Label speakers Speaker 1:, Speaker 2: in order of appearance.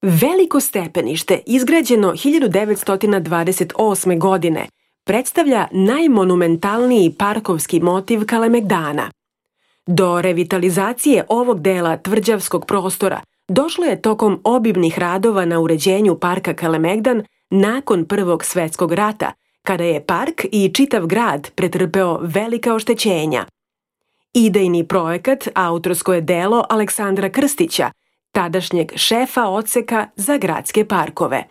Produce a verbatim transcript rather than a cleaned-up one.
Speaker 1: Veliko stepenište, izgrađeno hiljadu devetsto dvadeset osme. godine, predstavlja najmonumentalniji parkovski motiv Kalemegdana. Do revitalizacije ovog dela tvrđavskog prostora došlo je tokom obimnih radova na uređenju parka Kalemegdan nakon Prvog svetskog rata, kada je park i čitav grad pretrpeo velika oštećenja. Idejni projekat autorsko je delo Aleksandra Krstića, tadašnjeg šefa odseka za gradske parkove.